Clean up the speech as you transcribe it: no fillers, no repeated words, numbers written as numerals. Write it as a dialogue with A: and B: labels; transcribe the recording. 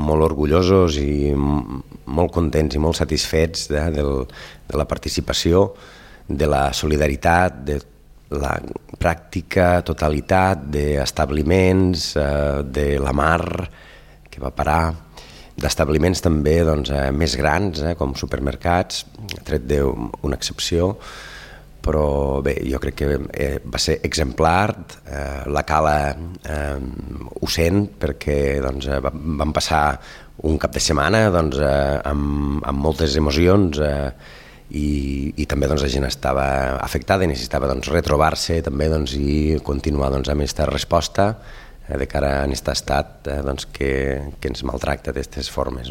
A: molt orgullosos i molt contents i molt satisfets de la participació, de la solidaritat, de la pràctica totalitat d'establiments, de la mar que va parar, d'establiments també més grans, com supermercats, tret d'una excepció, però bé, jo crec que va ser exemplar, la Cala ho sent, perquè vam passar un cap de setmana amb moltes emocions i també la gent estava afectada i necessitava retrobar-se també i continuar amb aquesta resposta de cara a aquest estat que ens maltracta d'aquestes formes.